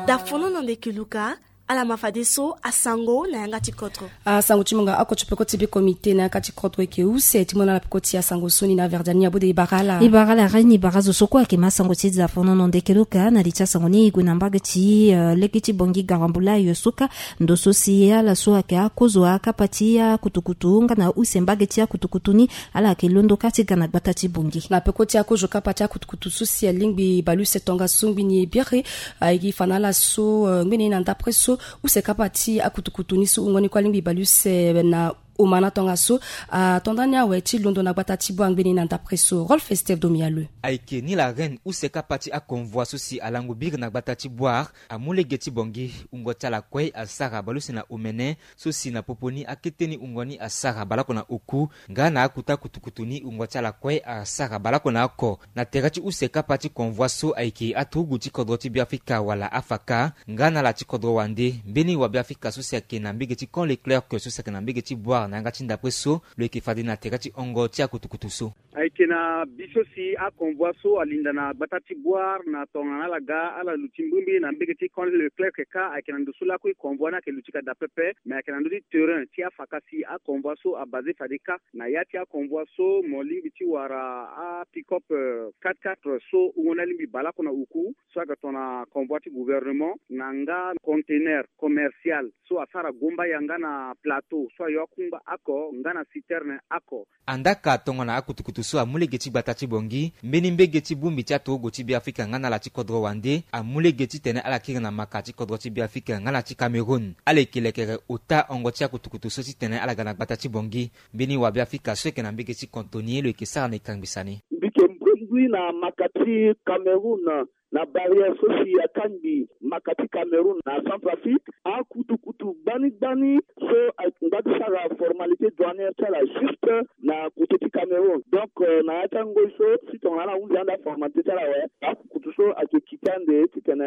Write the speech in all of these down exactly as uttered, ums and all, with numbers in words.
Dafono na ndeke luka. Ala ma fadeso asango na yanga ti kodro. Asango ti mo nga oko ti peko ti be komite na yanga ti kodro eke use ti mo na ala peko ti asango so ni na verdani abode ibara ala. Ibara ala rai ni ibara zo so kue ayeke ma asango ti dafono na ndeke luka na li ti asango ni e gue na mbage ti lege ti bongi garambula yo suka. Ndo so si ala so ayeke akozo akapa ti akutukutu nga na use mbage ti akutukutu ni. Ala yeke londo kâ ti ga na gbata ti bongi na peko ti akozo kapa ti akutukutu so si alingbi baleuse tongaso ngbi ni e biri. Aye gi fa na ala so ngbene ye na ndapre so use kapa ti akutukutu ni so wungo ni kue alingbi baleuse na omana tongaso. Ato ndani awe ti londo na gbata ti boire ngbene ye na ndapre so rolfe steve domialeu. Ayeke ni la reine use kapa ti aconvoi so si alango biri na gbata ti boire amu lege ti bongi wungo ti ala kue asara baleuse na omene so si na popo ni akete ni wungo ni asara baleoko na oku nga na akuta kutukutu ni wungo ti ala kue asara baleoko na oko. Na tere ti use kapa ti convoi so ayeke aturugu ti kodro ti biafrika wala afaka nga na ala ti kodro wande mbeni wabiafrika so si ayeke na mbege ti camp leclerc so si ayeke na mbege ti boire na yanga ti ndapre so lo yeke fade na tere ti hongo ti akutukutu so. Ayeke na bi so si aconvoi so alinda na gbata ti boire na tongana ala ga ala luti mbirimbiri na mbege ti camp leclerc kâ ayeke na ndo so lakui convoi ni ayeke luti ka daa pepe. Me ayeke na ndö ti terrain ti afaka si aconvoi so abase fade kâ na ya ti aconvoi so mo lingbi ti wara apickup quatre quatre so wungo ni alingbi baleoko na oku so ayeke tongana convoi ti gouvernement na nga conteneur commercial so asara gomba yanga na plateau so ayo akungba ako nga na citerne ako. Andaka tongana akutukutu so amu lege ti gbata ti bongi mbeni mbege ti bongbi ti aturugu ti biafrika nga na ala ti kodro wande amu lege titene ala kiri na maka ti kodro ti biafrika nga na ti cameroun. Ala yeke lekere ota hongo ti akutukutu so titene ala ga na gbata ti bongi. Mbeni wabiafrika so yeke na mbege ti kontoni lo yeke sara na ekangbisa ni. Mbi yeke mbongui na maka ti cameroun na barrière so si akangbi maka ti cameroun na centrafrique akutukutu gbani gbani so angba ti sara formalité douanière ti ala juste na kote ti cameroun donc na ya ti angoi so si tongana ala hunzi ande aformalité ti ala awe akukutu so ayeke kiti ande titene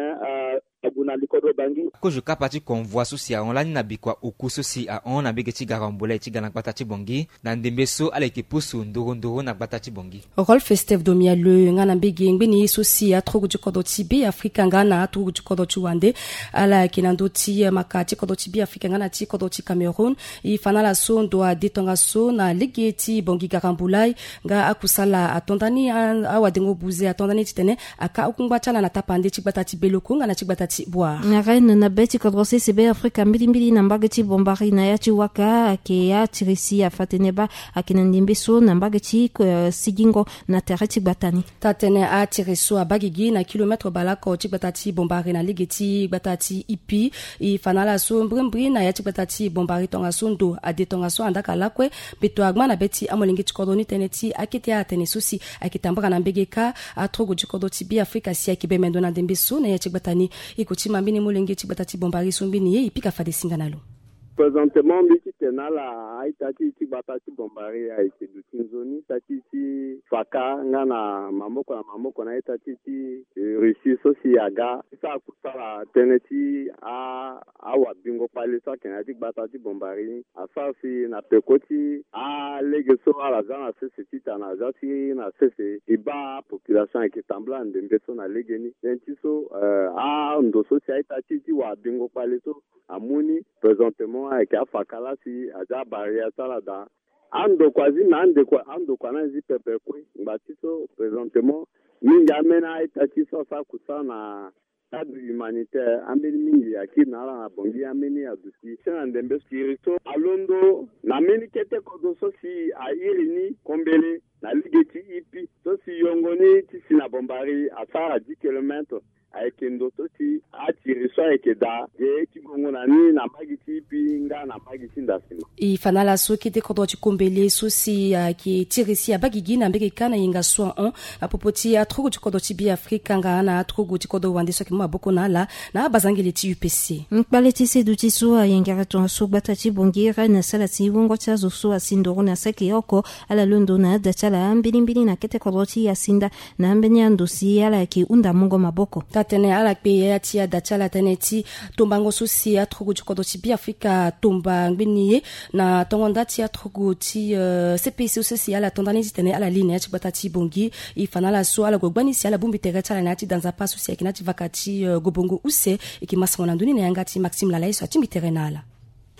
ague na likodro bangi. Kozo kapa ti convoi so si ahon lani na bikua oku so si ahon na mbege ti garambulai ti ga na gbata ti bongi na ndembe so ala yeke pusu nduru nduru na gbata ti bongi. Rolfe steve domialeu nga na mbege ngbeni ye so si aturugu ti kodro ti be afrika nga na aturugu ti kodro ti wande ala yeke na ndö ti maka ti kodro ti be afrika nga na ti kodro ti cameroun. E fa na ala so ndo ade tongaso na lege ti bongi garambulai nga akusala ato ndani awadengo buze ato ndani titene aka akungba ti ala na tapande ti gbata ti beloko nga na ti gbata ti boire. Na reine na be ti kodro sese be afrika mbilimbili na mbage ti bombari na ya ti waka ayeke atirisi afa tene baa ayeke na ndembe so na mbage ti sigingo na tere ti gbata ni. Taa-tënë atiri so abaa gigi na kilometre baleoko ti gbata ti bombari na lege ti gbata ti ipi. E fa na ala so mbrimbri na ya ti gbata ti bombari tongaso ndo ade tongaso andaka lakue mbeto agba na be ti amolenge ti kodro ni tënë ti akete atene so si ayeke tambara na mbege kâ. Aturugu ti kodro ti be afrika si ayeke be mendo na ndembe so na ya ti gbata ni. Iko ti ma mbeni molenge ti gbata ti bombari so mbeni ye e pika fade singa na lo. Présentement mbi ti tene na ala a-ita ti e ti gbata ti bombari ayeke duti nzoni ita ti e ti faka nga na maboko na maboko na a-ita ti e ti russie so si aga ti sara kusala tënë ti awabingo kpale so ayeke na ya ti gbata ti bombari ni asara si na peko ti alege so ala za na sese titene aza ti na sese e baa apopulation ayeke tambula na ndembe so na legeni tënë ti so ando so si a-ita ti e ti wabingo kpale so amu ni. Présentement ayeke afaka laa si aza abarrière ti ala daa. Andokua zi me andokua andokua ni azi pepe kue ngba ti so présentement mingi ambeni a-ita ti so asara kusala na cadre humanitaire ambeni mingi akiri na ala na bongi ambeni aduti si na ndembe siri so alondo na mbeni kete kodro so si airi ni kombele na lege ti ipi so si yongo ni ti si na bombari asara dix kilomètre. Ayeke ndo so si atiri so ayeke daa ge ti gongo na ni na mbage ti ipi nga na mbage ti ndasima. E fa na ala so kete kodro ti kombele so si ayeke tiri si abaa gigi na mbege kâ na yenga so ahon na popo ti aturugu ti kodro ti be afrika nga na aturugu ti kodro wande so ayeke mu maboko na ala na abazangele ti upc. Kpale ti seduti so ayengere tongaso gbata ti bongi reine asara si wungo ti azo so asi nduru na saki oko ala londo na ada ti ala mbilimbili na kete kodro ti asinda na ambeni ando si ala yeke hunda mungo maboko. Atene ala kpe ya ti ada ti ala tënë ti tombango so si aturugu ti kodro ti Beafrika atomba ngbeni ye na tongo nda ti aturugu ti, eh, C P C so si ala to nda ni titene ala li na ya ti gbata ti Bangui. E fa na ala so ala gue gbani si ala bongbi tere ti ala na ya ti da nzapa so si ayeke na ya ti vaka ti, eh, Gobongo use. E yeke masango na ndoni na yanga ti Maxime Lala ye so atingbi tere na ala.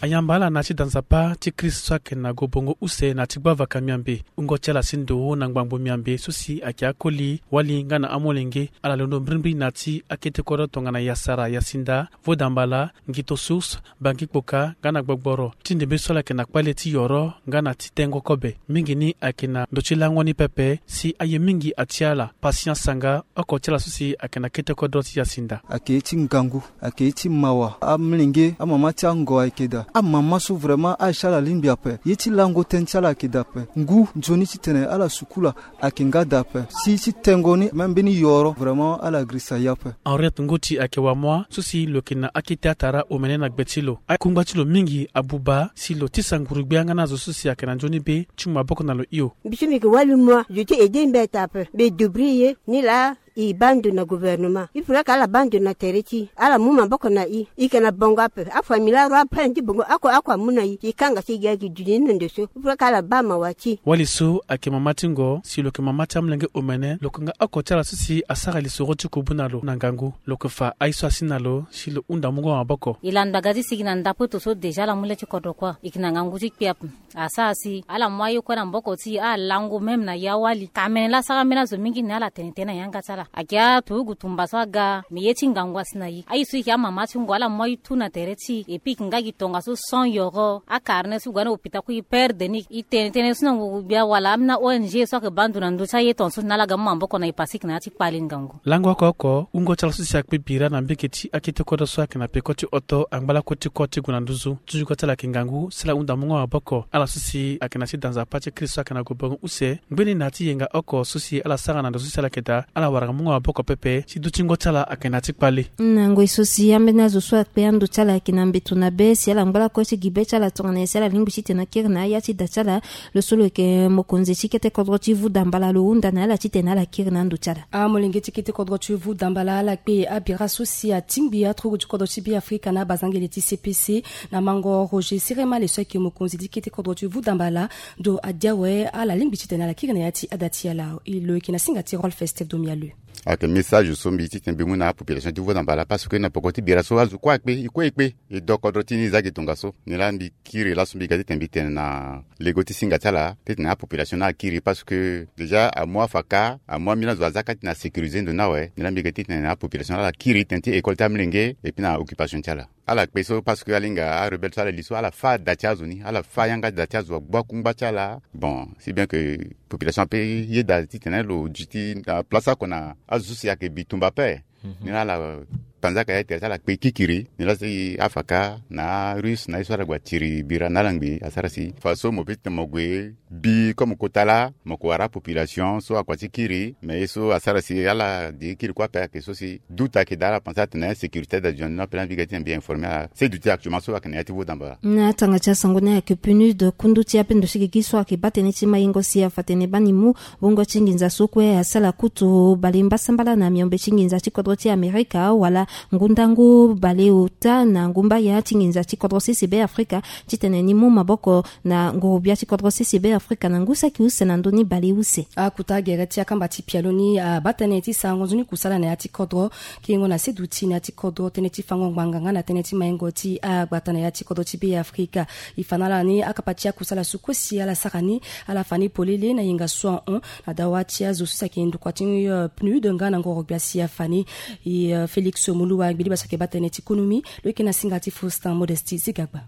Ayamba ala na ya ti da nzapa ti Christ so ayeke na Gobongo use na ya ti gbavaka miambe. Wungo ti ala si ndo na ngbangbo miambe so si ayeke akoli, wali nga na amolenge, ala londo mbirimbiri na ya ti akete kodro tongana Yasara, Yasinda, Vodambala, Ngito Source, Bangui Kpoka nga na Gbogboro. Ti ndembe so ala yeke na kpale ti yoro nga na ti tengo kobe. Mingi ni ayeke na ndo ti lango ni pepe si aye mingi atia ala. Patient Sanga, oko ti ala so si ayeke na kete kodro ti Yasinda. Ayeke ye ti ngangu, ayeke ye ti mawa. Amolenge, amama ti ango ayeke daa. Amama so vraiment aye ti ala alingbi ape. Ye ti lango tënë ti ala ayeke daa ape. Ngu nzoni titene ala sukula ayeke nga daa ape. Si ti tengo ni même mbeni yoro vraiment ala girisa ye ape. Henriette Ngoti ayeke wamoa so si lo yeke na akete atara omene na gbe ti lo. Akungba ti lo mingi abuba si lo tisa nguru-gbia nga na azo so si ayeke na nzoni be ti mu maboko na lo hio. Mbi so mbi yeke wali mua, zo ti aidé mbeta ape. Mbi débrouiller ni laa. E baa ndo na gouvernement. Il faudrait que ala baa ndo na tere ti e, ala mu maboko na e. E yeke na bongo ape. Afamille aro apren ti bongo oko, oko amu na e. E kanga si e gi ayeke duti ni na ndo so. Il faudrait que ala baa mawa ti e. Wali so ayeke mama ti ngo si lo yeke mama ti amolenge omene, lo yeke nga oko ti ala so si asara lisoro ti kubu na lo na ngangu. Lo yeke fa aye so asi na lo si lo hunda mungo maboko. E landa ga ti sigi na ndapoito so déjà ala mu le ti kodro kue. E yeke na ngangu ti kpe ape. Asara si ala mu aye kue na maboko ti e, ala lango même na e awali. Ka mene laa asara ambeni azo mingi ni ala tene tënë na yanga ti ala. Ayeke aturugu tumba so aga, me ye ti ngangu asi na e. Aye so e yeke amama ti ngo, ala mu aye tout na tere ti e. Et puis e yeke nga gi tongaso sans yoro. Acarnet so e gue na hôpital kue e perdre ni. E tene tënë so na nguru-gbia wala ambeni a-O N G so ayeke baa ndo na ndö ti aye tongaso ni, ala ga mu maboko na e parce que e yeke na ya ti kpale ngangu. Lango oko oko, wungo ti ala so si akpe bira na mbege ti akete kodro so ayeke na peko ti hoto angba lakue ti kua ti gue na nduzu. Ti duko ti ala ayeke ngangu si ala hunda mungo maboko. Ala so si ayeke na ti da nzapa ti Christ so ayeke na Gobongo use, ngbeni na ya ti yenga oko so si ala sara na ndo so si ala yeke daa, ala wara mungo maboko pepe, si dutingo ti ala ayeke na ya ti kpale. Na ngoi so si ambeni azo so akpe ando ti ala ayeke na mbeto na be, si ala ngba lakue ti gi be ti ala tongana nyen si ala lingbi titene akiri na aya ti da ti ala. Lo so lo yeke mokonzi ti kete kodro ti Vudambala lo hunda na ala titene ala kiri na ando ti ala. Amolenge ti kete kodro ti Vudambala ala kpe abira so si atingbi aturugu ti kodro ti Beafrika na abazangele ti C P C na mango Roger Siremale so ayeke mokonzi ti kete kodro ti Vudambala. Ndo adi awe, ala lingbi titene ala kiri na ya ti ada ti ala. Lo yeke na singa ti Rolf Esteve Domiale. Ayeke message so mbi ye titene mbi mu na apopulation ti Vudambala parce que na poko ti bira so azo kue akpe, e kue e kpe. E do kodro ti ni e zia gi tongaso. Nilaa mbi kiri laso mbi ga titene mbi tene na lego ti singa ti ala titene apopulation ni akiri parce que déjà amu afaka, amu ambeni azo azia kâ titene asécuriser ndo ni awe. Nilaa mbi ga titene apopulation ni ala kiri tënë ti école ti amolenge et puis na occupation ti ala. Ala kpe so parce que ala hinga arebelle so ala li so ala fâ da ti azo ni, ala fâ yanga da ti azo, agbu akungba ti ala. Bon, si bien que population ape yeda titene lo duti na place oko na azo so si ayeke bitumba ape. Nilaa ala panzaka ya tere ti ala kpe kikiri. Nilaa si afaka na arusse na ye so ala gue atiri bira na ala ngbii asara si faso mo peut ti tene mo gue bi comme kota laa mo ko wara apopulation so akua ti kiri. Mais ye so asara si ala di kiri kue ape ayeke so si doute ayeke daa, ala pense atene sécurité da zone ni ape laa mbi ga titene mbi informer ala. Si duti actuellement so ayeke na ya ti Vudambala. Na tanga ti asango ni ayeke PNUD, kundu ti ape ndo ti gigi so ayeke baa tënë ti maingo si afa tene baa ni mu wungo ti nginza so kue asala kutu bale mbasambala na miombe ti nginza ti kodro ti Amerika wala ngu ndangu bale ota na ngu mbaya ti nginza ti kodro sese Beafrika titene ni mu maboko na nguru-gbia ti kodro sese Beafrika na ngu saki use na ndö ni bale use. Akuta gere ti akamba ti pialo ni abaa tënë ti sarango nzoni kusala na ya ti kodro. Kiringo na seduti na ya ti kodro, tënë ti fango ngbanga nga na tënë ti maingo ti agbata na ya ti kodro ti Beafrika. E fa na ala ni akapa ti akusala so kue si ala sara ni, ala fa ni polele na yenga so ahon na dawa ti azo so si ayeke ndokua ti, eh, PNUD nga na ngoro gbia si afa ni. E, eh, Félix Moluwa, gbili baa so ayeke baa tënë ti konomi, lo yeke na singa ti Faustin Modestie Zigagba.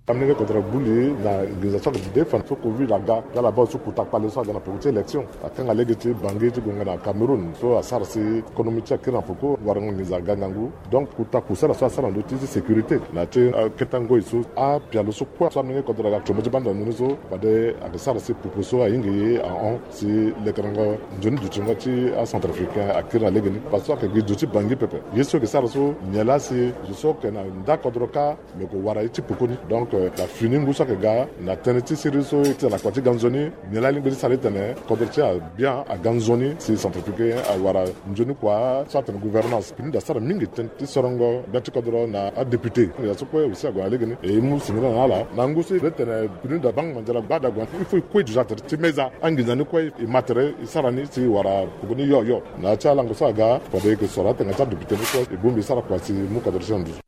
Amolenge kodro agbu li na nginza so ayeke de fa so covid aga, nga ala baa so kota kpale so aga na peko ti élection. Akanga lege ti Bangui ti gue nga na Cameroun so asara si konomi ti akiri na peko, warango nginza aga ngangu. Donc kota kusala so asara na ndö ti sécurité na ya ti, eh, kete ngoi so apialo so kue so amolenge kodro aga combo ti banda na ndö ni so, fade ayeke sara si popo so ahinga e ahon si lekerengo nzoni dutingo ti acentrafricain akiri na legeni. Parce que ayeke gi zo ti Bangui pepe. Ye so ayeke sara so nyen laa si zo so ayeke na nda kodro kâ, me ko wara ye ti peko ni. Donc Na fini ngu so ayeke ga na tënë ti siriri so e ti ala kua ti ga nzoni. Nyen la alingbi ti sara ti tene kodro ti e abia aga nzoni si centrafricain awara nzoni kua so atene gouvernance. Pini da sara mingi tënë ti sorongo bia ti kodro na adéputé. Ya so kue aussi ague na legeni e mu singila na ala na ngu so e tene pini da bang mandiala gbada ague na il faut e kue déjà tene ti meza anginza ni kue e ma tere e sara ni si wara koko ni yo yo. Na ya ti alango so aga fade e yeke soro atenga ti adéputé ni kue e bongbi e sara kua si mu kodro ti e na nduzu.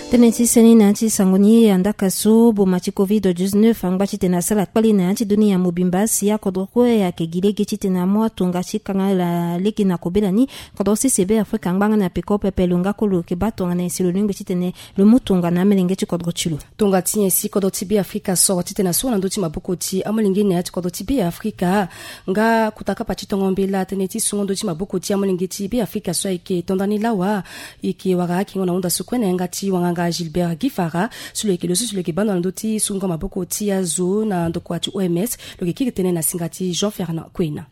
Tënë ti seni na ya ti sango ni andaka so boma ti covid dix-neuf angba titene asara kpali na ya ti dunia mobimba si akodro kue ayeke gi lege titene amu atonga ti kanga lege na kobela ni. Kodro sese Be Afrika angba nga na peko pepe lo nga kue lo yeke baa tongana nyen si lo lingbi titene lo mu tongana amelenge ti kodro ti lo. Tongana nyen si kodro ti Be Afrika soro titene asungo na ndö ti maboko ti amolenge na ya ti kodro ti Be Afrika. Nga kota kapa ti tongo mbela tënë ti sungo ndö ti maboko ti amolenge ti Be Afrika so ayeke to ndani lawa. E yeke wara akingo na hunda so kue na yanga ti wanganga Gilbert Gifara so lo yeke lo so si lo yeke baa ndo na ndö ti sungo maboko ti azo na ndokua ti O M S. Lo yeke kiri tënë na singa ti Jean Fernand Kuena.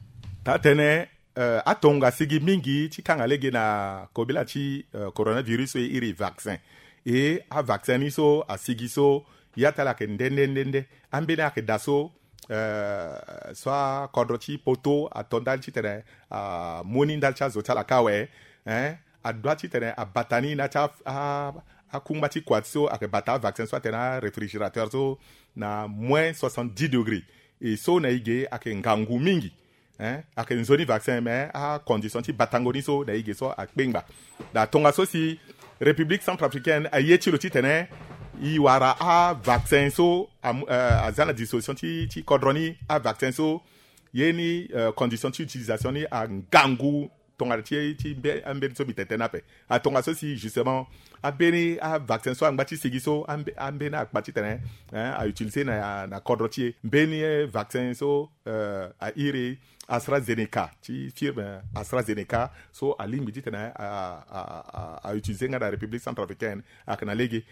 Taa tënë, atonga asigi mingi ti kanga lege na kobela ti coronavirus so e iri vaccin. E avaccin ni so asigi so ya ti ala ayeke nde nde nde nde. Ambeni ayeke daa so so akodro ti poto ato ndali titene amu ni ndali ti azo ti ala kâ awe. Adua titene abata ni na ya ti akungba ti kua ti so ayeke bata avaccin so atene aréfrigérateur so na moins soixante-dix degrés. E so na e ge ayeke ngangu mingi. Ayeke nzoni vaccin mais acondition ti batango ni so na e ge so akpengba. Na tongaso si République centrafricaine aye ti lo titene e wara avaccin so aza na disposition ti kodro ni. Avaccin so ye ni condition ti utilisation ni angangu. Tongana ti ti ambeni so mbi tene tënë ape. Atongaso si justement ambeni avaccin so angba ti sigi so ambeni akpa titene autiliser na kodro ti e. Mbeni vaccin so airi AstraZeneca ti firme AstraZeneca so alingbi titene autiliser nga na République centrafricaine. Ayeke na lege.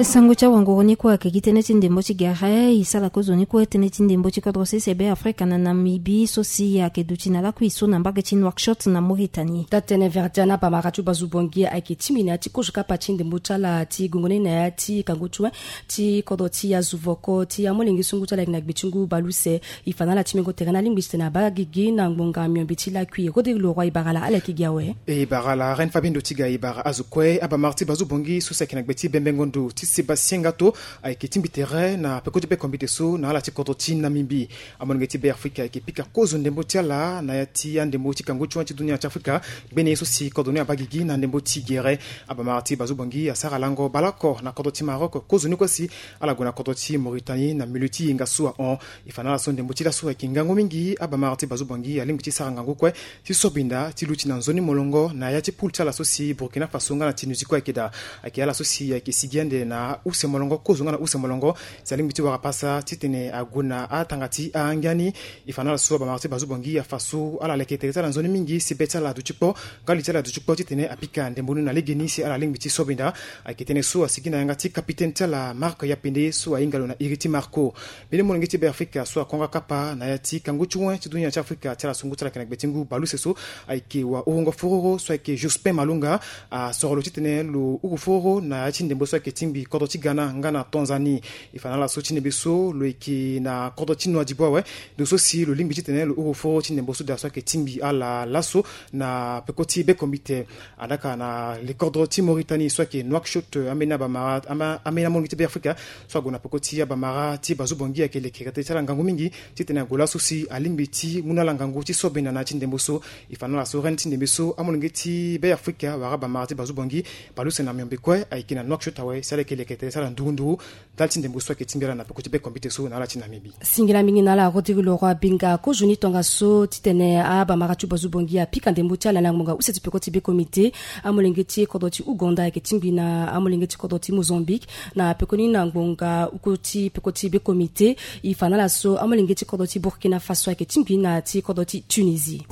Sango ti awanguru ni kue ayeke gi tënë ti ndembo ti gere. E sara kozoni kue tënë ti ndembo ti kodro sese Be Afrika na Namibie so si ayeke duti na lakui so na mbage ti Nouakchott na Mauritanie. Taa tënë Verdiana abamara ti Bazu Bongi ayeke tingbi na ya ti kozo kapa ti ndembo ti ala ti gongo ni na ya ti kangu ti wen ti kodro ti azo voko ti amolenge so ngu ti ala ayeke na gbe ti ngu baleuse. E fa na ala ti mengo tere na alingbi titene abaa gigi na ngbonga miombe ti lakui. Rodrigue Leroy e bara ala ala yeke gi awe. E bara ala Reine Fabien Dotiga e bara azo kue abamara ti Bazu Bongi so si ayeke na gbe ti bembengo ndo ti Sébastien Ngato ayeke tingbi tere na peko ti be kombite so na ala ti kodro ti Namibie. Amolenge ti Be Afrika ayeke pika kozo ndembo ti ala na ya ti andembo ti kangu ti wen ti dunia ti Afrika. Gbene ye so si kodro ni abaa gigi na ndembo ti gere. Abamara ti Bazu Bongi asara lango baleoko na kodro ti Maroc kozoni kue si ala gue na kodro ti Mauritanie na milieu ti yenga so ahon. E fa na ala so ndembo ti laso ayeke ngangu mingi. Abamara ti Bazu Bongi alingbi ti sara ngangu kue ti sobinda ti luti na nzoni molongo na ya ti poule ti ala so si Burkina Faso nga na Tunisie kue ayeke daa. Ayeke ala so si ayeke sigi ande na use molongo kozo nga na use molongo si alingbi ti wara pasa titene ague na atanga ti angia ni. E fa na ala so abamara ti Bazu Bongi afa so ala leke tere ti ala nzoni mingi si be ti ala aduti kpo nga li ti ala aduti kpo titene apika ndembo ni na legeni si ala lingbi ti sobinda. Ayeke tënë so asigi na yanga ti kapitene ti ala Marc Yapende so ahinga lo na iri ti Marco. Mbeni molenge ti Be Afrika so akonga kapa na ya ti kangu ti wen ti dunia ti Afrika ti ala so ngu ti ala ayeke na gbe ti ngu baleuse so ayeke wahurungo fororo so ayeke Jospin Malonga. Asoro lo titene lo huru fororo na ya ti ndembo so ayeke tingbi kodro ti Ghana nga na Tanzanie. E fa na ala so ti ndembe so lo yeke na kodro ti Nouadhibou awe. Ndo so si lo lingbi titene lo huru foro ti ndembo so daa so ayeke tingbi ala laso na peko ti be kombite. Adaka na lekodro ti Mauritanie so ayeke Nouakchott, ambeni abamara, ambeni amolenge ti Be Afrika so ague na peko ti abamara ti Bazu Bongi ayeke lekere tere ti ala ngangu mingi titene ague laso si alingbi ti mu na ala ngangu ti sobinda na ya ti ndembo so. E fa na ala so reine ti ndembe so amolenge ti Be Afrika wala abamara ti Bazu Bongi baleuse na miombe kue ayeke na Nouakchott awe si ala yeke lekere tere ti ala nduru nduru. Ndali ti ndembo so ayeke tingbi ala na peko ti be kombite so na ala ti Namibie. Singila mingi na ala Rodrigue Leroy Binga. Kozoni tongaso titene abamara ti Bazu Bongi apika ndembo ti ala na ngbonga use ti peko ti be komite. Amolenge ti kodro ti Ouganda ayeke tingbi na amolenge ti kodro ti Mozambique na pekoni na ngbonga oko ti peko ti be komite. E fa na ala so amolenge ti kodro ti Burkina Faso ayeke tingbi na ti kodro ti Tunisie.